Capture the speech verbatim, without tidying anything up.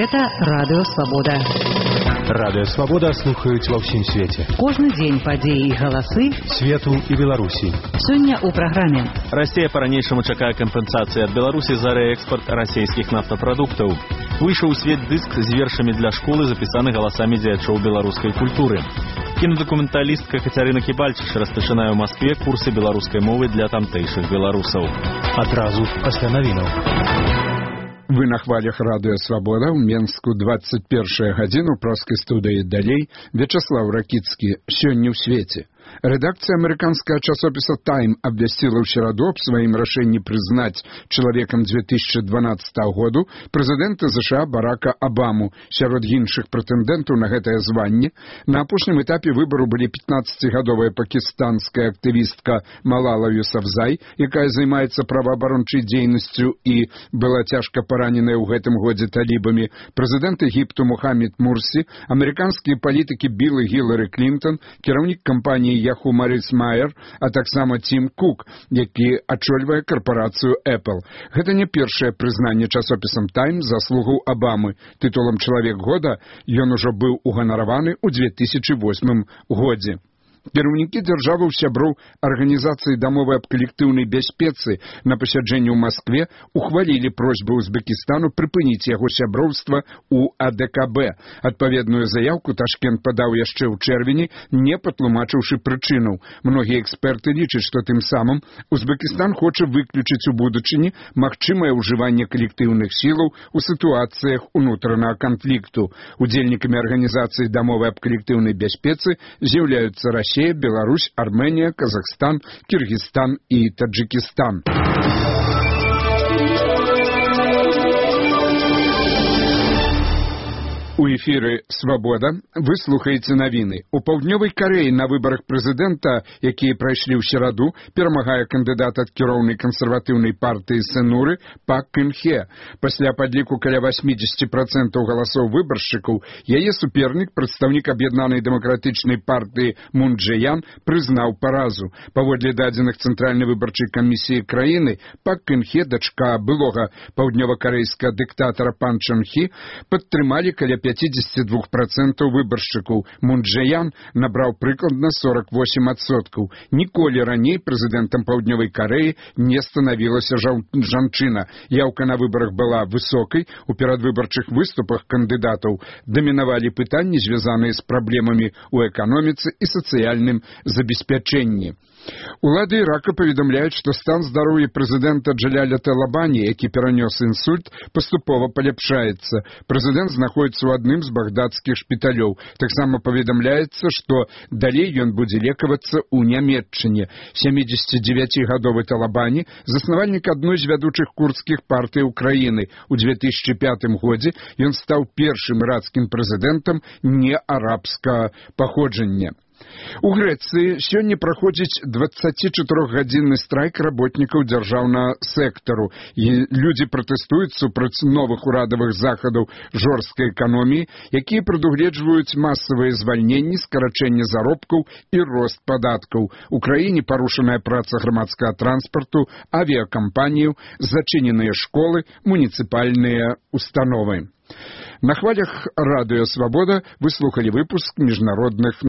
Гэта Радыё Свабода. Радыё Свабода слухаюць ва ўсім свеце. Кожны дзень падзеі і галасы свету і Беларусі. Сёння ў праграме. Расія па-ранейшаму чакае кампенсацыі ад Беларусі за рээкспарт расійскіх нафтапрадуктаў. Выйшаў у свет дыск з вершамі для школы, запісаны галасамі дзеячоў беларускай культуры. Кінадакументалістка Кацярына Кібальчыч распачынае ў Маскве курсы беларускай мовы для тамтэйшых беларусаў. Адразу пасля навінаў. Вы на хвалях Радыё Свабода ў Менску двадцать першая гадзіну праскай студыі далей Вячаслав Ракіцкі. Сёння ў свеце. Редакция американского часописа «Тайм» обвестила в середу об своем решении признать человеком две тысячи дванадцатого года президента США Барака Обаму. Сярод іншых прэтэндэнтаў на гэтае званне на апошнім этапе выбору были пятнадцатигадовая пакистанская актывістка Малала Юсафзай, якая займаецца праваабарончай дзейнасцю і была цяжка параненая ў гэтым годзе талібамі, прэзідэнт Егіпту Мухаммед Мурсі, амерыканскія палітыкі Билл і Гілары Клінтон, кіраўнік кампаніі Яху Марис Майер, а таксама Тим Кук, які ачольвае карпарацыю Apple. Гэта не першае прызнанне часопісам «Тайм» заслугаў Обамы. Тытулам «Чалавек года» ён ужо быў уганараваны ў две тысячи восьмым годзе. Кіраўнікі дзяржаваў сяброў Арганізацыі дамовы аб калектыўнай бяспецы на пасяджэнні ў Маскве ухвалілі просьбу Узбекістану прыпыніць яго сяброўства ў А Дэ Ка Бэ. Адпаведную заяўку Ташкент падаў яшчэ ў чэрвені, не патлумачыўшы прычынаў. Многія эксперты лічаць, што тым самым Узбекістан хоча выключыць у будучыні магчымае ўжыванне калектыўных сілаў у сітуацыях унутранага канфлікту. Удзельнікамі Арганізацыі дамовы аб калектыўнай бяспецы з'яўляюцца Расія, Беларусь, Армения, Казахстан, Киргизстан и Таджикистан. У эфіры «Свабода» вы слухаеце навіны. У Паўднёвай Карэі на выбарах прэзідэнта, якія прайшлі ў сераду, перамагае кандыдат ад кіроўнай кансерватыўнай партыі Сэнуры Пак Кын Хе. Пасля падліку каля восемьдесят процентов галасоў выбаршчыкаў, яе супернік, прадстаўнік аб'яднанай дэмакратычнай партыі Мун Чжэ Ян, прызнаў паразу. Паводле дадзеных Цэнтральнай выбарчай камісіі краіны, Пак Кын Хе, дачка былога паўднёвакарэйскага дыктатара Пан Чэн Хі, падтрымалі каля пятьдесят два процента выбаршчыкаў. Мун Чжэ Ян набраў прыкладна сорок восемь адсоткаў. Ніколі раней прэзідэнтам Паўднёвай Карэі не станавілася жанчына. Яўка на выбарах была высокай. У перадвыбарчых выступах кандыдатаў дамінавалі пытанні, звязаныя з праблемамі ў эканоміцы і сацыяльным забеспячэнні. Улады Ірака паведамляюць, што стан здароўя прэзідэнта Джаляля Талабані, які перанёс інсульт, паступова паляпшаецца. Прэзідэнт знаходіцца ў адным з багдадскіх шпіталёў. Таксама паведамляецца, што далей ён будзе лекавацца ў Нямецчыне. сямидзесятидзевяцігадовы Талабані, заснавальнік адной з вядучых курдскіх партый Украіны. У две тысячи пятым годзе ён стаў першым ірацкім прэзідэнтам неарабскага паходжання. У Грэцыі сёння праходзіць дваццацічатырохгадзінны страйк работнікаў дзяржаўнага сектару. І людзі пратэстуюць супраць новых урадавых захадаў жорсткай эканоміі, якія прадугледжваюць масавыя звальненні, скарачэнне заробкаў і рост падаткаў. У краіне парушаная праца грамадскага транспарту, авіякампаніяў, зачыненыя школы, муніцыпальныя установы. На хвалях Радыё Свабода вы слухалі выпуск міжнародных